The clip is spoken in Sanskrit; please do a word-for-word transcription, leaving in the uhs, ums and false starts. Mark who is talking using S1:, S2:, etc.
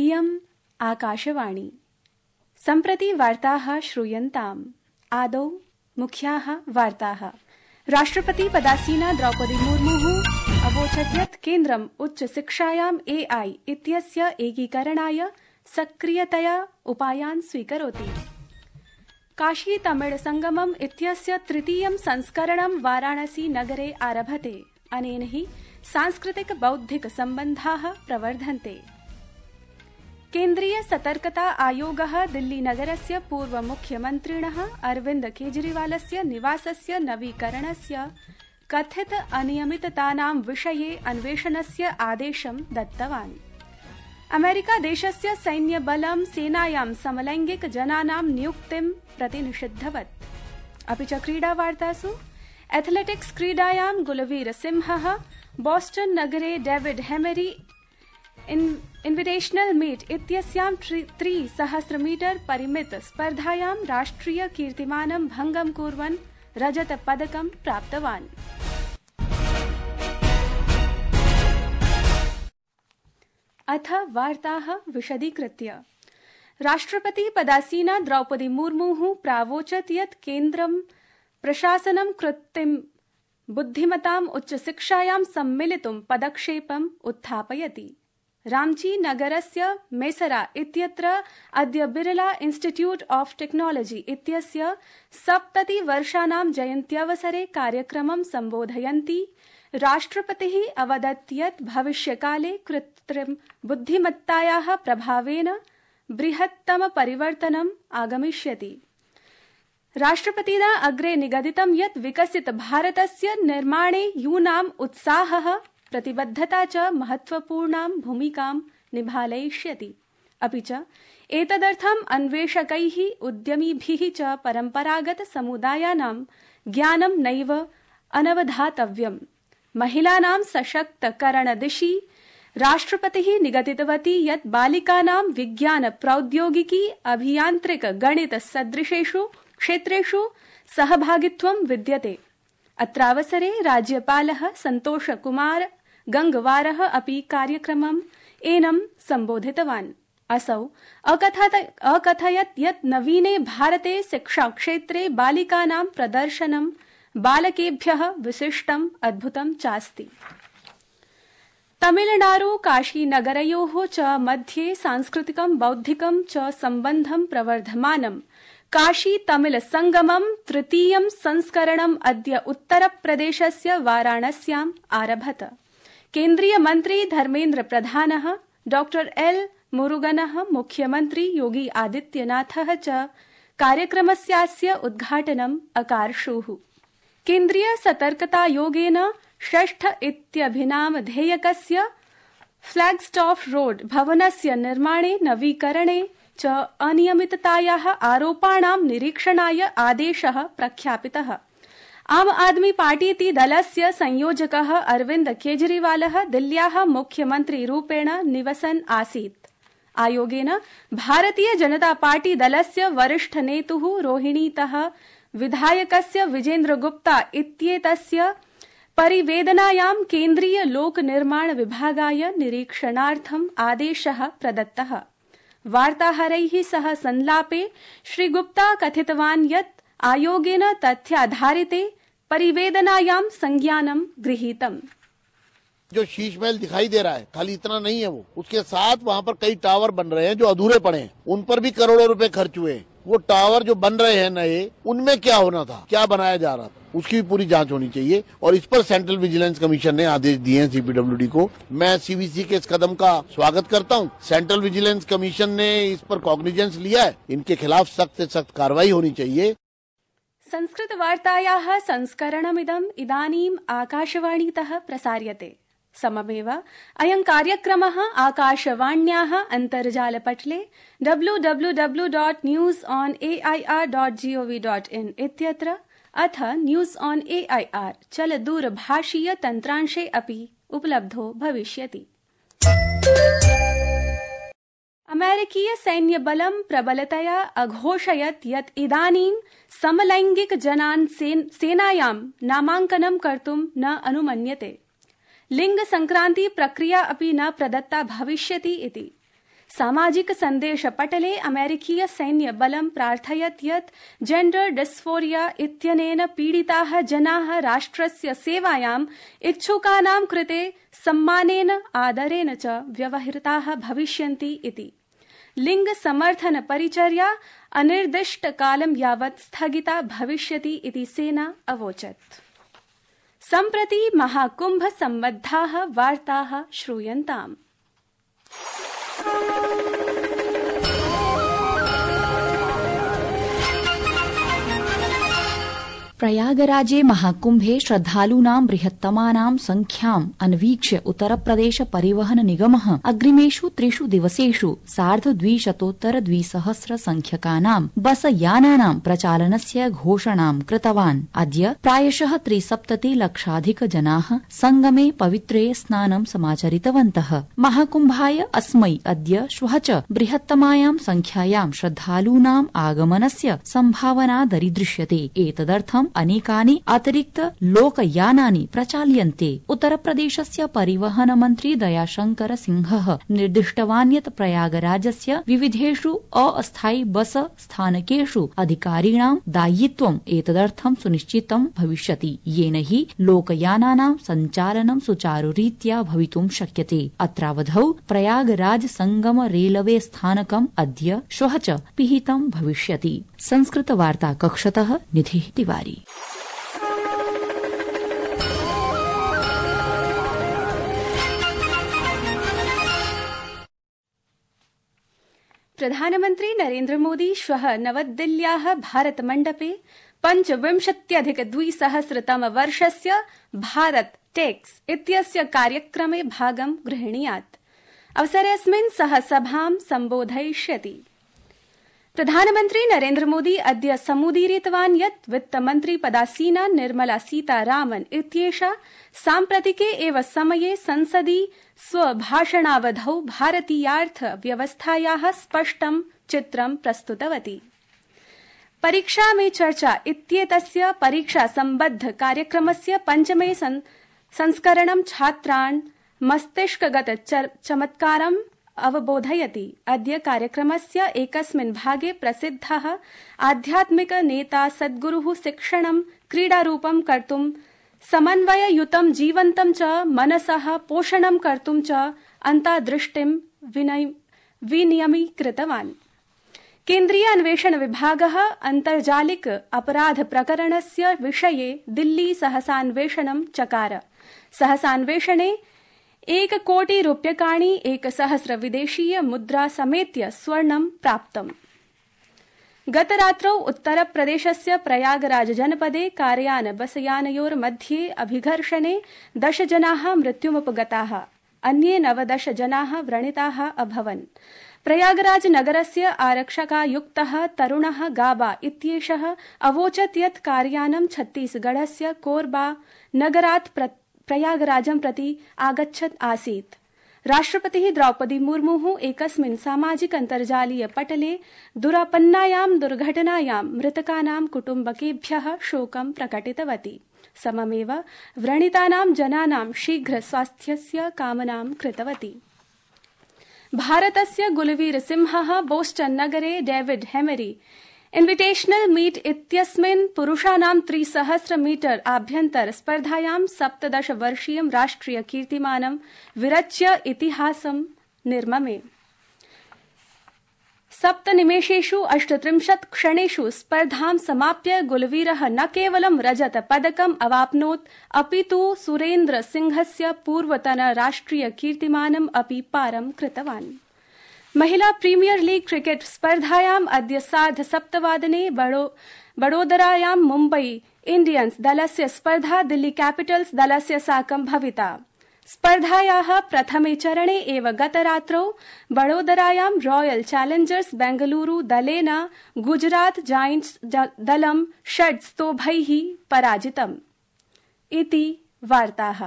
S1: इयम् आकाशवाणी। सम्प्रति वार्ताः श्रूयन्ताम्। आदौ मुख्याः वार्ताः। राष्ट्रपति पदासीना द्रौपदी मुर्मुः अवोचत् यत् केन्द्रम् उच्चशिक्षायाम् एआई इत्यस्य एकीकरणाय सक्रियतया उपायान् स्वीकरोति। काशी तमिळ संगमम् इत्यस्य तृतीयं संस्करणं वाराणसी नगरे आरभते। अनेन हि सांस्कृतिक बौद्धिक सम्बन्धाः प्रवर्धन्ते। केन्द्रीय सतर्कता आयोगः दिल्ली नगरस्य पूर्व मुख्यमन्त्रिणः अरविन्द केजरीवालस्य निवासस्य नवीकरणस्य कथित अनियमिततानां विषये अन्वेषणस्य आदेशं दत्तवान्। अमेरिका देशस्य सैन्यबलं सेनायां समलैंगिक जनानां नियुक्तिं प्रति निषिद्धवत्। अपि च क्रीडावार्तासु एथलेटिक्स क्रीडायां गुलवीर सिंहः बोस्टन नगरे डेविड हेमरी इन्विटेशनल मीट इत्यस्यां त्रिसहस्र मीटर परिमित स्पर्धायां राष्ट्रिय कीर्तिमानं भंगं कुर्वन् रजत पदकं प्राप्तवान्। अथ वार्ताः विशदीकृत्य। राष्ट्रपति पदासीना द्रौपदी मुर्मुः प्रावोचत् यत् केन्द्रं प्रशासनं कृत्रिम बुद्धिमताम् उच्चशिक्षायां सम्मिलितुं पदक्षेपम् उत्थापयति। रांची नगरस्य मेसरा इत्यत्र अद्य बिरला इंस्टीट्यूट ऑफ टेक्नोलॉजी इत्यस्य सप्ततिवर्षाणां जयन्त्यवसरे कार्यक्रमं सम्बोधयन्ती राष्ट्रपतिः अवदत् यत् भविष्यकाले कृत्रिम बुद्धिमत्तायाः प्रभावेन बृहत्तम परिवर्तनम् आगमिष्यति। राष्ट्रपतिना अग्रे निगदितं यत् विकसित भारतस्य निर्माणे यूनाम् उत्साहः प्रतिबद्धता च महत्वपूर्णां भूमिकां निभालयिष्यति। अपि च एतदर्थम् अन्वेषकैः उद्यमिभिः च परम्परागत समुदायानां ज्ञानं नैव अनवधातव्यम्। महिलानां सशक्तकरणदिशि राष्ट्रपतिः निगदितवती यत् बालिकानां विज्ञान प्रौद्योगिकी अभियान्त्रिक गणित सदृशेषु क्षेत्रेषु सहभागित्वं विद्यते। अत्रावसरे राज्यपालः सन्तोष कुमार गंगवारः अपि कार्यक्रमम् एनं सम्बोधितवान्। असौ अकथयत् यत् नवीने भारते शिक्षाक्षेत्रे बालिकानां प्रदर्शनं बालकेभ्यः विशिष्टम् अद्भुतं चास्ति। तमिलनाडु काशीनगरयोः च मध्ये सांस्कृतिकं बौद्धिकं च सम्बन्धं प्रवर्धमानम् काशी तमिल संगमम् तृतीयं संस्करणम् अद्य उत्तरप्रदेशस्य वाराणस्याम् आरभत। केन्द्रीय मन्त्री धर्मेन्द्र प्रधानः डॉक्टर एल मुरुगनः मुख्यमन्त्री योगी आदित्यनाथः च कार्यक्रमस्यास्य उद्घाटनम् अकार्षुः। केन्द्रीय सतर्कतायोगेन षष्ठ इत्यभिनामधेयकस्य फ्लैगस्टॉफ रोड भवनस्य निर्माणे नवीकरणे च अनियमिततायाः आरोपाणां निरीक्षणाय आदेशः प्रख्यापितः। आम आदमी पार्टीति दलस्य संयोजकः अरविन्द केजरीवालः दिल्ल्याः मुख्यमन्त्रीरूपेण निवसन् आसीत्। आयोगेन भारतीय जनता पार्टी दलस्य वरिष्ठ नेतुः रोहिणीतः विधायकस्य विजेन्द्र गुप्ता इत्येतस्य परिवेदनायां केन्द्रीय लोक निर्माण विभागाय निरीक्षणार्थम् आदेशः प्रदत्तः। वार्ताहरैः सह संलापे श्री गुप्ता कथितवान् यत् आयोगेन तथ्याधारिते परिवेदनायां संज्ञानं गृहीतम्।
S2: जो शीश महल दिखाई दे रहा है खाली इतना नहीं है, वो उसके साथ वहाँ पर कई टावर बन रहे हैं जो अधूरे पड़े हैं, उन पर भी करोड़ों रुपए खर्च हुए हैं। वो टावर जो बन रहे हैं नए, उनमें क्या होना था, क्या बनाया जा रहा था, उसकी भी पूरी जांच होनी चाहिए और इस पर सेंट्रल विजिलेंस कमीशन ने आदेश दिए हैं सीपीडब्ल्यूडी को। मैं सीवीसी के इस कदम का स्वागत करता हूं। सेंट्रल विजिलेंस कमीशन ने इस पर कॉग्निजेंस लिया है, इनके खिलाफ सख्त से सख्त कार्रवाई होनी चाहिए।
S1: संस्कृत वार्तायाः संस्करणमिदम् इदानीम् आकाशवाणीतः प्रसार्यते। सममेव अयं कार्यक्रमः आकाशवाण्याः अन्तर्जालपटले W W W dot news on A I R dot GOV dot in इत्यत्र अथ news on A I R चलदूरभाषीय तन्त्रांशे अपि उपलब्धो भविष्यति। अमेरिकीय सैन्यबलं प्रबलतया अघोषयत् यत् इदानीं समलैंगिक जनान् सेनायां नामाङ्कनं कर्तुं न अनुमन्यते। लिंग संक्रांति प्रक्रिया अपि न प्रदत्ता भविष्यति इति। सामाजिक सन्देश पटले अमेरिकीय सैन्य बलं प्रार्थयत् यत् जेंडर डिस्फोरिया इत्यनेन पीडिताः जनाः राष्ट्रस्य सेवायाम् इच्छुकानां कृते सम्मानेन आदरेण च व्यवहृताः भविष्यन्ति इति। लिंग समर्थन परिचर्या अनिर्दिष्टकालं यावत् स्थगिता भविष्यति इति सेना अवोचत्। सम्प्रति महाकुंभ सम्बद्धाः वार्ताः श्रूयन्ताम्।
S3: प्रयागराजे महाकुंभे श्रद्धालूनां बृहत्तमानां संख्याम् अन्वीक्ष्य उत्तरप्रदेश परिवहन निगमः अग्रिमेषु त्रिषु दिवसेषु सार्धद्विशतोत्तर द्विसहस्र संख्यकानां बस यानानां प्रचालनस्य घोषणां कृतवान्। अद्य प्रायशः त्रिसप्तति लक्षाधिक जनाः संगमे पवित्रे स्नानं समाचरितवन्तः। महाकुंभाय अस्मै अद्य श्वः च बृहत्तमायां संख्यायां श्रद्धालूनाम् आगमनस्य सम्भावना दरीदृश्यते। एतदर्थं अनेकानि अतिरिक्त लोकयानानि प्रचाल्यन्ते। उत्तरप्रदेशस्य परिवहन मन्त्री दयाशंकर सिंहः निर्दिष्टवान् यत् प्रयागराजस्य विविधेषु अस्थायि बस स्थानकेषु अधिकारिणां दायित्वम् एतदर्थं सुनिश्चितं भविष्यति, येन हि लोकयानानां सञ्चालनं सुचारुरीत्या भवितुं शक्यते। अत्रावधौ प्रयागराज संगम रेलवे स्थानकम् अद्य श्वः च पिहितं भविष्यति। संस्कृत वार्ता कक्षतः निधिः तिवारी।
S1: प्रधानमन्त्री नरेन्द्र मोदी श्वः नवदिल्ल्याः भारत मण्डपे पञ्चविंशत्यधिक द्विसहस्रतम वर्षस्य भारत टेक्स इत्यस्य कार्यक्रमे भागं गृह्णीयात्। अवसरेऽस्मिन् सः सभां सम्बोधयिष्यति। प्रधानमन्त्री नरेन्द्र मोदी अद्य समुदीरितवान् यत् वित्तमन्त्री पदासीना निर्मला सीतारामन् इत्येषा साम्प्रतिके एव समये संसदि स्वभाषणावधौ भारतीयार्थ व्यवस्थायाः स्पष्टं चित्रं प्रस्तुतवती। परीक्षा में चर्चा इत्येतस्य परीक्षा सम्बद्ध कार्यक्रमस्य पञ्चमे संस्करणं छात्रान् मस्तिष्कगत चमत्कारम् अवबोधयति। अद्य कार्यक्रमस्य एकस्मिन् भागे प्रसिद्धः आध्यात्मिक नेता सद्गुरुः शिक्षणं क्रीडारूपं कर्तुं समन्वययुतं जीवन्तं च मनसः पोषणं कर्तुं च अन्तादृष्टिं विनियमीकृतवान्। केन्द्रीय अन्वेषण विभागः अन्तर्जालिक अपराध प्रकरणस्य विषये दिल्ली सहसान्वेषणं चकार। सहसान्वेषणे एक कोटि रूप्यकाणि एकसहस्र विदेशीय मुद्रा समेत्य स्वर्णं प्राप्तम्। गतरात्रौ उत्तरप्रदेशस्य प्रयागराज जनपदे कारयान बसयानयोर्मध्ये अभिघर्षणे दश जनाः मृत्युमुपगताः, अन्ये नवदश जनाः व्रणिताः अभवन्। प्रयागराज नगरस्य आरक्षकायुक्तः तरुणः गाबा इत्येषः अवोचत् यत् कारयानं छत्तीसगढ़स्य कोरबा नगरात् प्रयागराजं प्रति आगच्छत् आसीत्। राष्ट्रपतिः द्रौपदी मुर्मुः एकस्मिन् सामाजिक अन्तर्जालीय पटले दुरापन्नायां दुर्घटनायां मृतकानां कुटुम्बकेभ्यः शोकं प्रकटितवती। सममेव व्रणितानां जनानां शीघ्र स्वास्थ्यस्य कामनां कृतवती। भारतस्य गुलवीर सिंहः बोस्टन नगरे डेविड हेमरी इन्विटेशनल मीट इत्यस्मिन् पुरुषाणां त्रिसहस्र मीटर आभ्यन्तर स्पर्धायां सप्तदश वर्षीयं राष्ट्रिय कीर्तिमानं विरच्य इतिहासं निर्ममे। सप्तनिमेषेषु अष्टत्रिंशत् क्षणेषु स्पर्धां समाप्य गुलवीरः न केवलं रजत पदकम् अवाप्नोत्, अपितु सुरेन्द्र सिंहस्य पूर्वतन राष्ट्रिय कीर्तिमानम् अपि पारं कृतवान्। महिला प्रीमियर लीग क्रिकेट स्पर्धायाम् अद्य सार्ध सप्तवादने बडोदरायां मुम्बई इण्डियन्स् दलस्य स्पर्धा दिल्ली कैपिटल्स दलस्य साकं भविता। स्पर्धायाः प्रथमे चरणे एव गतरात्रौ बडोदरायां रॉयल चैलेंजर्स बेंगलुरु दलेन गुजरात जायंट्स दलं षड् स्तोभैः पराजितम्। इति वार्ताः।